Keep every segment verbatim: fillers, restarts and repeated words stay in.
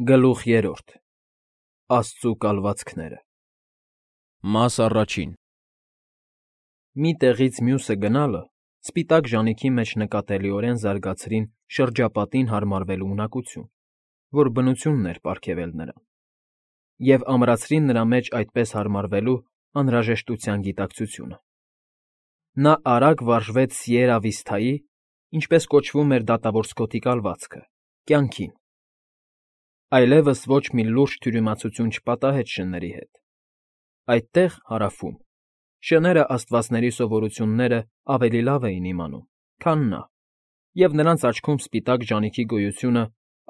Գլուխ երրորդ Աստծու կալվածքները Մաս առաջին Մի տեղից մյուսը գնալը սպիտակ ժանիքի մեջ նկատելիորեն զարգացրին շրջապատին հարմարվելու ունակություն, որ բնությունն էր պարգևել նրան, և ամրացրին նրա մեջ այդպես հարմարվելու անհրաժեշտության գիտակցությունը. նա արագ վարժվեց Սիերա Վիսթայի, ինչպես կոչվում էր դատավորսկոթի կալվածքը, կյանքին, այլևս ոչ մի լուրջ թյուրիմացություն չպատահեց շների հետ. այդտեղ, հարավում, շները աստվածների սովորությունները ավելի լավ էին իմանում, քան նա, և նրանց աչքում սպիտակ ժանիքի գոյությունը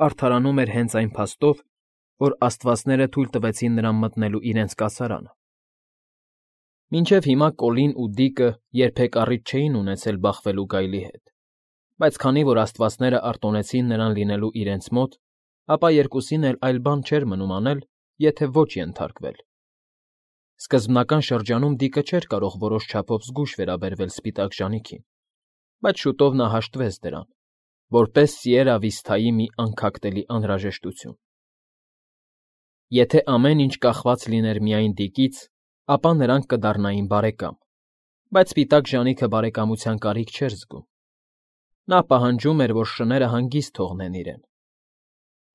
արդարանում էր հենց այն փաստով, որ աստվածները թույլ տվեցին նրան մտնելու իրենց կացարանը. Մինչև հիմա Կոլին ու Դիկը երբեք առիթ չէին ունեցել բախվելու գայլի հետ, բայց քանի որ աստվածները արտոնեցին նրան լինելու իրենց մոտ, ապա երկուսին էլ այլ բան չէր մնում անել, եթե ոչ ենթարկվել. Սկզբնական շրջանում Դիկը չէր կարող որոշ չափով զգույշ վերաբերվել սպիտակ ժանիքին, բայց շուտով նա հաշտվեց դրան, որպես Սիերա Վիսթայի մի անքակտելի անհրաժեշտություն. եթե ամեն ինչ կախված լիներ միայն Դիկից, ապա նրանք կդառնային բարեկամ, բայց սպիտակ ժանիքը բարեկամության կարիք չէր զգում. նա պահանջում էր, որ շները հանգիստ թողնեն իրեն.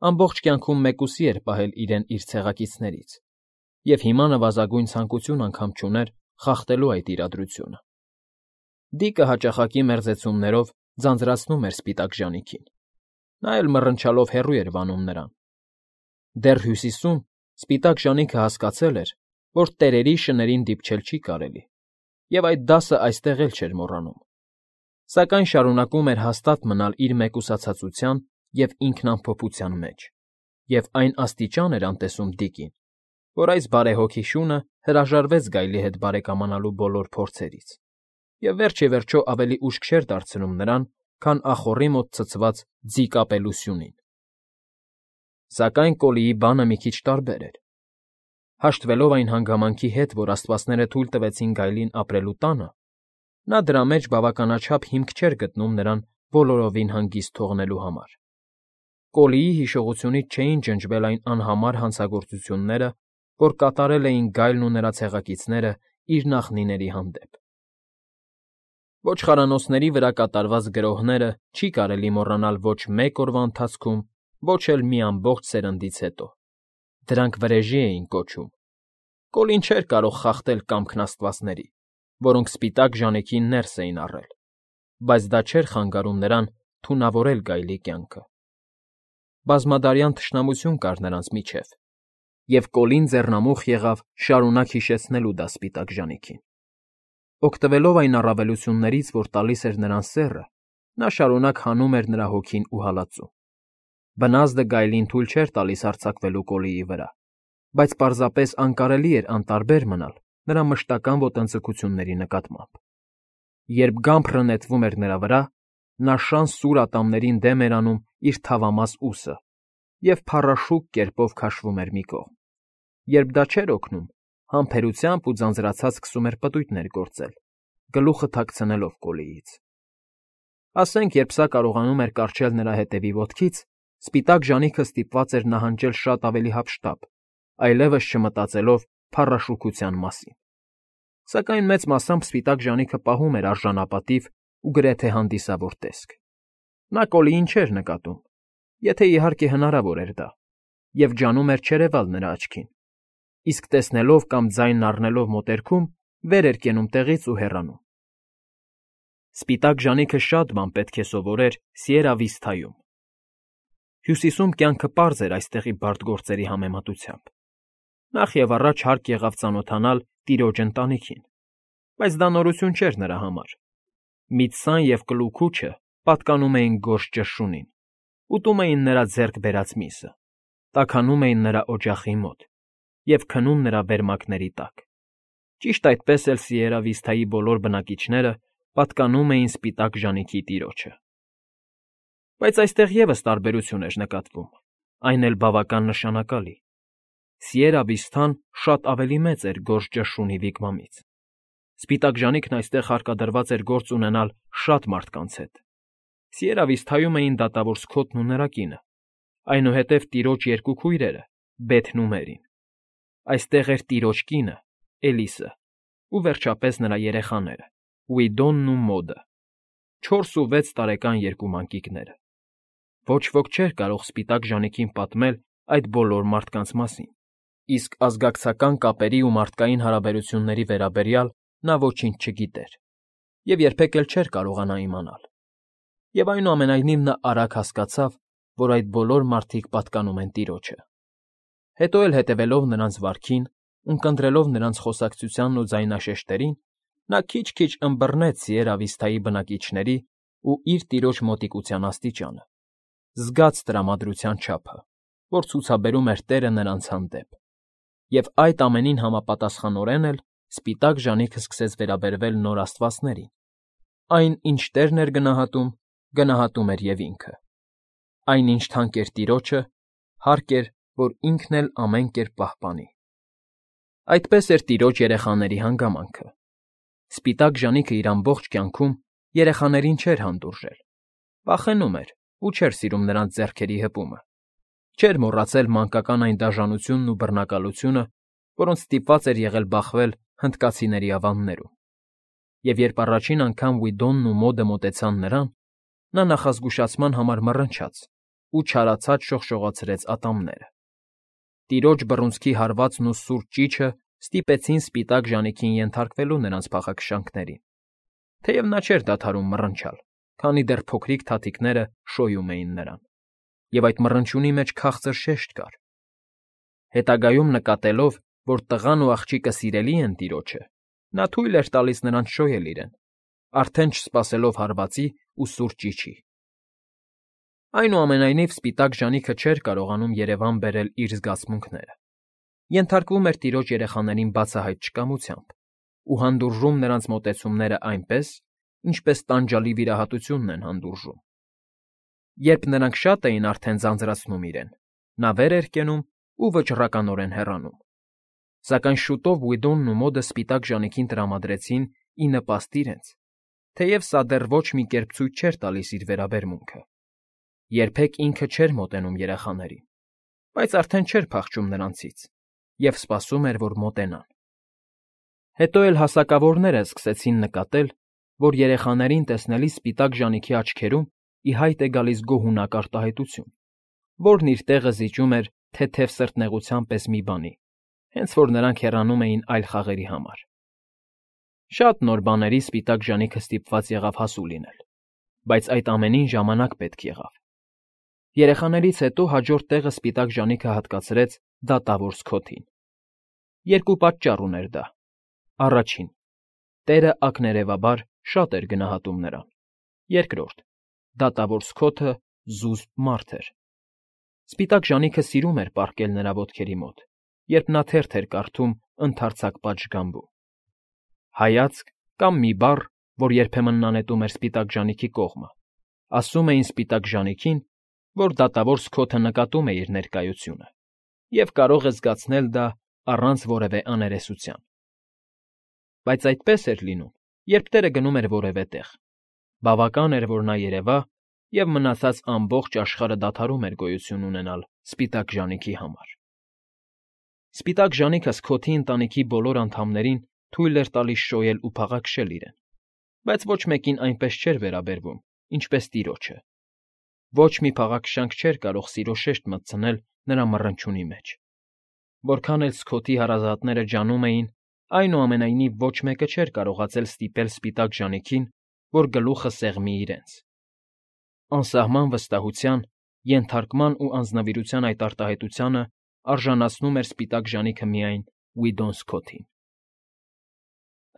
ամբողջ կյանքում մեկուսի էր պահել իրեն իր ցեղակիցներից, և հիմա նվազագույն ցանկություն անգամ չուներ խախտելու այդ իրադրությունը. Դիկը հաճախակի մերձեցումներով ձանձրացնում էր սպիտակ ժանիքին, նա էլ մռնչալով հեռու էր վանում նրան. դեռ Հյուսիսում սպիտակ ժանիքը հասկացել էր, որ տերերի շներին դիպչել չի կարելի, և այդ դասը այստեղ էլ չէր մոռանում, սակայն շարունակում էր հաստատ մնալ իր մեկուսացածության և ինքնամփոփության մեջ, և այն աստիճան էր անտեսում Դիկին, որ այս բարեհոգի շունը հրաժարվեց գայլի հետ բարեկամանալու բոլոր փորձերից և վերջ ի վերջո ավելի ուշք չէր դարձնում նրան, քան ախոռի մոտ ցցված ձի կապելու սյունին. Սակայն Կոլիի բանը մի քիչ տարբեր էր. հաշտվելով այն հանգամանքի հետ, որ աստվածները թույլ տվեցին գայլին ապրելու տանը, նա դրա մեջ բավականաչափ հիմք չէր գտնում նրան բոլորովին հանգիստ թողնելու համար. Կոլիի հիշողությունից չէին ջնջվել այն անհամար հանցագործությունները, որ կատարել էին գայլն ու նրա ցեղակիցները իր նախնիների հանդեպ. Ոչխարանոցների վրա կատարված գրոհները չի կարելի մոռանալ ոչ մեկ օրվա ընթացքում, ոչ էլ մի ամբողջ սերնդից հետո. դրանք վրեժի էին կոչում. Կոլին չէր կարող խախտել կամքն աստվածների, որոնք սպիտակ ժանիքին ներս էին առել, բայց դա չէր խանգարում նրան թունավորել գայլի կյանքը. բազմադարյան թշնամություն կար նրանց միջև, և Կոլին ձեռնամուխ եղավ շարունակ հիշեցնելու դա սպիտակ ժանիքին. օգտվելով այն առավելություններից, որ տալիս էր նրան սեռը, նա շարունակ հանում էր նրա հոգին ու հալածում. բնազդը գայլին թույլ չէր տալիս հարձակվելու Կոլիի վրա, բայց պարզապես անկարելի էր անտարբեր մնալ նրա մշտական ոտնձգությունների նկատմամբ. երբ գամբրը նետվում էր նրա վրա, նա շան սուր ատամներին դեմ էր անում իր թավամաս ուսը և փառաշուկ կերպով քաշվում էր մի կողմ, երբ դա չէր օգնում, համբերությամբ ու ձանձրացած սկսում էր պտույտներ գործել, գլուխը թաքցնելով Կոլիից. ասենք, երբ սա կարողանում էր կառչել նրա հետևի ոտքից, սպիտակ ժանիքը ստիպված էր նահանջել շատ ավելի հափշտապ, այլևս չմտածելով փառաշուկության մասին. Սակայն մեծ մասամբ սպիտակ ժանիքը պահում էր արժանապատիվ ու գրեթե հանդիսավոր տեսք. նա Կոլիին չէր նկատում, եթե իհարկե հնարավոր էր դա, և ջանում էր չերևալ նրա աչքին, իսկ տեսնելով կամ ձայնն առնելով մոտերքում, վեր էր կենում տեղից ու հեռանում. Սպիտակ ժանիքը շատ բան պետք է սովորեր Սիերա Վիսթայում. Հյուսիսում կյանքը պարզ էր այստեղի բարդ գործերի համեմատությամբ. նախ և առաջ հարկ եղավ ծանոթանալ տիրոջ ընտանիքին, բայց դա նորություն չէր նրա համար. Միծսան և Կլուքուչը պատկանում էին Գորշ ճշշունին, ուտում էին նրա ձեռք բերած միսը, տաքանում էին նրա օջախի մոտ և քնում նրա վերմակների տակ. ճիշտ այդպես էլ Սիերա Վիսթայի բոլոր բնակիչները պատկանում էին սպիտակ ժանիքի տիրոջը. Բայց այստեղ ևս տարբերություն էր նկատվում, այն էլ բավական նշանակալի. Սիերա Վիսթան շատ ավելի մեծ էր Գորշ ճշշունի վիգվամից. սպիտակ ժանիքն այստեղ հարկադրված էր գործ ունենալ շատ մարդկանց հետ. Սիերա Վիսթայում էին դատավոր Սքոթն ու նրա կինը, այնուհետև տիրոջ երկու քույրերը՝ Բեթն ու Մերին, այստեղ էր տիրոջ կինը՝ Էլիսը, ու վերջապես նրա երեխաները՝ Ուիդոնն ու Մոդը, չորս ու վեց տարեկան երկու մանկիկները։ Ոչ ոք չէր կարող սպիտակ ժանիքին պատմել այդ բոլոր մարդկանց մասին, իսկ ազգակցական կապերի ու մարդկային հարաբերությունների վերաբերյալ նա ոչինչ չգիտեր և երբեք էլ չէր կարողանա իմանալ։ Եվ այնուամենայնիվ նա արագ հասկացավ, որ այդ բոլոր մարդիկ պատկանում են տիրոջը։ Հետո էլ հետևելով նրանց վարքին, ունկնդրելով նրանց խոսակցությանն ու ձայնաշեշտերին, նա քիչ֊քիչ ըմբռնեց Սիեր բնակիչների ու իր տիրոջ մոտիկության աստիճանը, զգաց տրամադրության չափը, որ ցուցաբերում էր տեղը նրանց հանդեպ, և այդ ամենին համապատասխանորեն էլ սպիտակ ժանիքը սկսեց վերաբերվել նոր աստվածներին. այն, ինչ Տերն էր գնահատում, գնահատում էր և ինքը. այն, ինչ թանկ էր տիրոջը, հարկ էր, որ ինքն էլ ամեն կերպ պահպանի։ Այդպես էր տիրոջ երեխաների հանգամանքը։ Սպիտակ ժանիքը իր ամբողջ կյանքում երեխաներին չէր հանդուրժել, վախենում էր ու չէր սիրում նրանց ձեռքերի հպումը, չէր մոռացել մանկական այն դաժանությունն ու բռնակալությունը, որոնց ստիպված էր եղել բախվել հնդկացիների ավաններում։ Եվ երբ առաջին անգամ Ուիդոնն ու Մոդը մոտեցան նրան, նա նախազգուշացման համար մռնչաց ու չարացած շողշողացրեց ատամները։ Տիրոջ բռունցքի հարվածն ու սուր ճիչը ստիպեցին սպիտակ ժանիքին ենթարկվելու նրանց փախաքշանքներին, թեև նա չէր դադարում մռնչալ, քանի դեռ փոքրիկ թաթիկները շոյում էին նրան, և այդ մռնչյունի մեջ քաղցր շեշտ կար։ Հետագայում նկատելով, որ տղան ու աղջիկը սիրելի են տիրոջը, նա թույլ էր տալիս նրանց շոյել իրեն, արդեն չսպասելով հարվածի ու սուր ճիչի։ Այնուամենայնիվ սպիտակ ժանիքը չէր կարողանում երևան բերել իր զգացմունքները, ենթարկվում էր տիրոջ երեխաներին բացահայտ չկամությամբ ու հանդուրժում նրանց մոտեցումները այնպես, ինչպես տանջալի վիրահատությունն են հանդուրժում։ Երբ նրանք շատ էին արդեն ձանձրացնում իրեն, նա վեր էր կենում ու վճռականորեն հեռանում։ Սակայն շուտով Ուիդոնն ու Մոդը սպիտակ ժանիքին տրամադրեցին ի նպաստ իրենց, թեև սա դեռ ոչ մի կերպ ցույց չէր տալիս իր վերաբերմունքը։ Երբեք ինքը չէր մոտենում երեխաներին, բայց արդեն չէր փախչում նրանցից և սպասում էր, որ մոտենան։ Հետո էլ հասակավորները սկսեցին նկատել, որ երեխաներին տեսնելիս սպիտակ ժանիքի աչքերում ի հայտ է գալիս գոհունակ արտահայտություն, որն իր տեղը զիջում էր թեթև սրտնեղության պես մի բանի, հենց որ նրանք հեռանում էին այլ խաղերի համար։ Շատ նոր բաների սպիտակ ժանիքը ստիպված եղավ հասու լինել, բայց այդ ամենին ժամանակ պետք եղավ։ Երեխաներից հետո հաջորդ տեղը սպիտակ ժանիքը հատկացրեց դատավոր Սքոթին։ Երկու պատճառ ուներ դա. առաջին, Տերը ակներևաբար շատ էր գնահատում նրան, երկրորդ, դատավոր Սքոթը զուսպ մարդ էր։ Սպիտակ ժանիքը սիրում էր պառկել նրա ոտքերի մոտ, երբ նա թերթ էր կարդում ընդարձակ պատշգամբում։ Հայացք կամ մի բառ, որ երբեմն նա նետում էր սպիտակ ժանիքի կողմը, ասում էին սպիտակ ժանիքին, որ դատավոր Սքոթը նկատում է իր ներկայությունը և կարող է զգացնել դա առանց որևէ աներեսության։ Բայց այդպես էր լինում, երբ Տերը գնում էր որևէ տեղ։ Բավական էր, որ նա երևա, և մնացած ամբողջ աշխարհը դադարում էր գոյություն ունենալ սպիտակ ժանիքի համար։ Սպիտակ ժանիքը Սքոթի ընտանիքի բոլոր անդամներին թույլ էր տալիս շոյել ու փաղաքշել իրեն, բայց ոչ մեկին այնպես չէր վերաբերվում, ինչպես տիրոջը։ Ոչ մի փաղաքշանք չէր կարող սիրո շեշտ մտցնել նրա մռնչյունի մեջ։ Որքան էլ Սքոթի հարազատները ջանում էին, այնուամենայնիվ ոչ մեկը չէր կարողացել ստիպել սպիտակ ժանիքին, որ գլուխը սեղմի իրենց։ Անսահման վստահության, ենթարկման ու անձնվիրության այդ արտահայտությանը արժանացնում էր սպիտակ ժանիքը միայն Ուիդոն Սքոթին։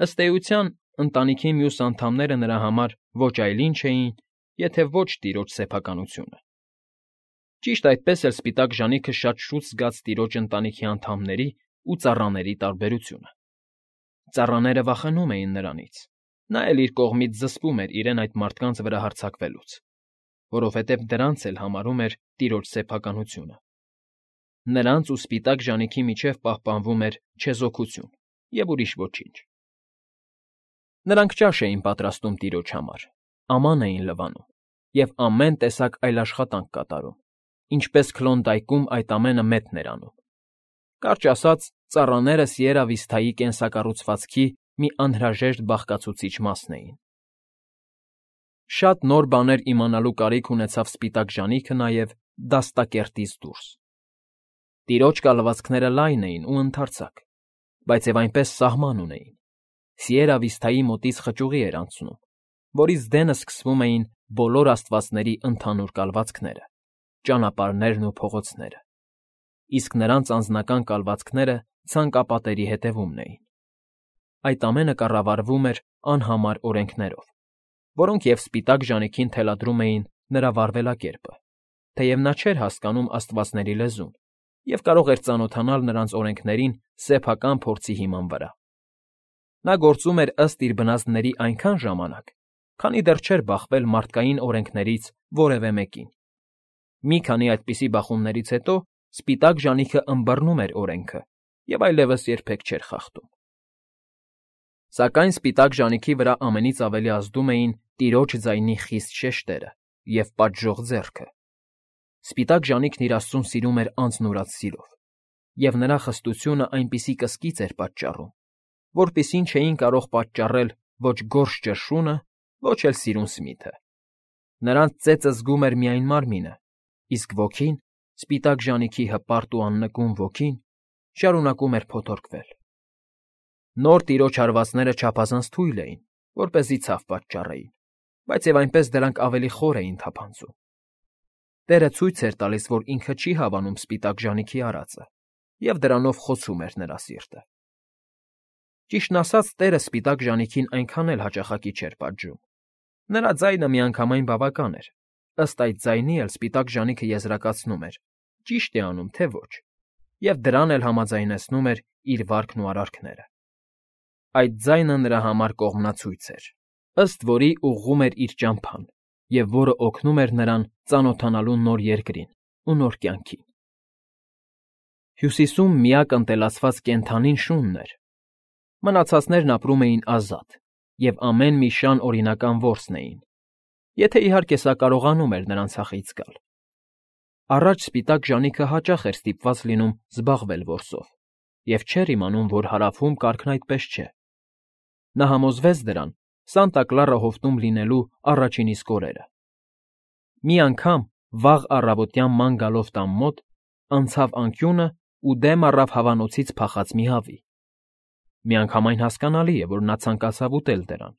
Ըստ էության, ընտանիքի մյուս անդամները նրա համար ոչ այլ ինչ էին, եթե ոչ տիրոջ սեփականությունը։ Ճիշտ այդպես էլ սպիտակ ժանիքը շատ շուտ զգաց տիրոջ ընտանիքի անդամների ու ծառաների տարբերությունը։ Ծառաները վախենում էին նրանից, նա էլ իր կողմից զսպում էր իրեն այդ մարդկանց վրա հարձակվելուց, որովհետև դրանց էլ համարում էր տիրոջ սեփականությունը։ Նրանց ու սպիտակ ժանիքի միջև պահպանվում էր չեզոքություն և ուրիշ ոչինչ։ Նրանք ճաշ էին պատրաստում տիրոջ համար, աման էին լվանում և ամեն տեսակ այլ աշխատանք կատարում, ինչպես Քլոնդայքում այդ ամենը մետն էր անում։ Կարճ ասած, ծառաները Սիերա Վիստայի կենսակառուցվածքի մի անհրաժեշտ բաղկացուցիչ մասն էին։ Շատ նոր բաներ իմանալու կարիք ունեցավ սպիտակ ժանիքը նաև դաստակերտից դուրս։ Տիրոջ կալվածքները լայն էին ու ընդարձակ, բայց և այնպես սահման ունեին։ Սիերա Վիստայի մոտից խճուղի էր անցնում, որից դենը սկսվում էին բոլոր աստվածների ընդհանուր կալվածքները, ճանապարհներն ու փողոցները, իսկ նրանց անձնական կալվածքները ցանկապատերի հետևումն էին։ Այդ ամենը կառավարվում էր անհամար օրենքներով, որոնք և սպիտակ ժանիքին թելադրում էին նրա վարվելակերպը, թեև նա չէր հասկանում աստվածների լեզուն և կարող էր ծանոթանալ նրանց օրենքներին սեփական փորձի հիման վրա։ Նա գործում էր ըստ իր բնազդների այնքան ժամանակ, քանի դեռ չէր բախվել մարդկային օրենքներից որևէ մեկին։ Մի քանի այդպիսի բախումներից հետո սպիտակ ժանիքը ըմբռնում էր օրենքը և այլևս երբեք չէր խախտում։ Սակայն սպիտակ ժանիքի վրա ամենից ավելի ազդում էին տիրոջ ձայնի խիստ շեշտերը և պատժող ձեռքը։ Սպիտակ ժանիքն իր Աստծուն սիրում էր անձնուրաց սիրով, և նրա խստությունը այնպիսի կսկիծ էր պատճառում, որպիսին չէին կարող պատճառել ոչ գորշ ճռշունը, ոչ էլ սիրուն Սմիթը։ Նրանց ծեծը զգում էր միայն մարմինը, իսկ ոգին, սպիտակ ժանիքի հպարտ ու աննկուն ոգին, շարունակում էր փոթորկվել։ Նոր տիրոջ հարվածները չափազանց թույլ էին, որպեսզի ցավ պատճառեին, բայց և այնպես դրանք ավելի խոր էին թափանցում։ Տերը ցույց էր տալիս, որ ինքը չի հավանում սպիտակ ժանիքի արածը, և դրանով խոցում էր նրա սիրտը։ Ճիշտն ասած, Տերը սպիտակ ժանիքին այնքան էլ հաճախակի չէր պատժում։ Նրա ձայնը միանգամայն բավական էր, ըստ այդ ձայնի էլ սպիտակ ժանիքը եզրակացնում էր՝ ճիշտ է անում, թե ոչ, և դրան էլ համաձայնեցնում էր իր վարքն ու արարքները։ Այդ ձայնը նրա համար կողմնացույց էր, ըստ որի ուղղում էր իր ճամփան, և որը օգնում էր նրան ծանոթանալու նոր երկրին ու նոր կյանքին։ Հյուսիսում միակ ընտելացված կենդանին շունն էր։ Մնացածներն ապրում էին ազատ և ամեն մի շան օրինական որսն էին, եթե իհարկե սա կարողանում էր նրան ցախից գալ։ Առաջ սպիտակ ժանիքը հաճախ էր ստիպված լինում զբաղվել որսով և չէր իմանում, որ հարավում կարգն այդպես չէ։ Նա համոզվեց դրան Սանտա Կլարա հովտում լինելու առաջին իսկ օրերը։ Մի անգամ, վաղ առավոտյան ման գալով տան մոտ, անցավ անկյունը ու դեմ առավ հավանոցից փախած մի հավի։ Միանգամայն հասկանալի է, որ նա ցանկացավ ուտել դրան։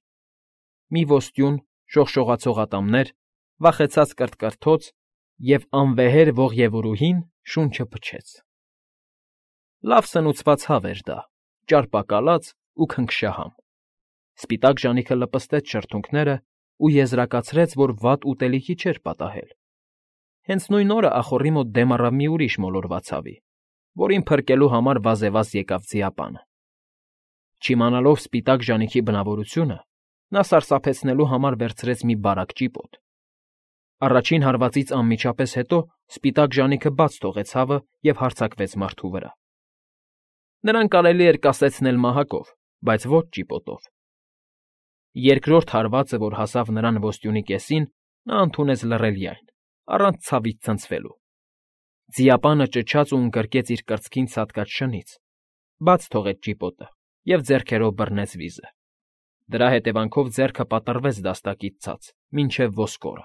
Մի ոստյուն, շողշողացող ատամներ, վախեցած կրթկրթոց և անվեհեր ողևորուհին շունչը փչեց։ Լավ սնուցված հավ էր դա, ճարպակալած ու քնքշահամ։ Սպիտակ ժանիքը լպստեց շրթունքները ու եզրակացրեց, որ վատ ուտելիքի չէր պատահել։ Հենց նույն օրը ախոռի մոտ դեմ առավ մի ուրիշ մոլորված հավի, որին փրկելու համար վազևազ եկավ ձիապանը։ Չիմանալով սպիտակ ժանիքի բնավորությունը, նա սարսափեցնելու համար վերցրեց մի բարակ ճիպոտ։ Առաջին հարվածից անմիջապես հետո սպիտակ ժանիքը բաց թողեց հավը և հարձակվեց մարդու վրա։ Նրան կարելի էր կասեցնել մահակով, բայց ոչ ճիպոտով։ Երկրորդ հարվածը, որ հասավ նրան ոստյունի կեսին, նա ընդունեց լռելյայն, առանց ցավից ցնցվելու։ Ձիապանը ճչաց ու ընկրկեց իր կրծքին ցատկած շնից, բաց թողեց ճիպոտը և ձեռքերով բռնեց վիզը։ Դրա հետևանքով ձեռքը պատռվեց դաստակից ցած մինչև ոսկորը։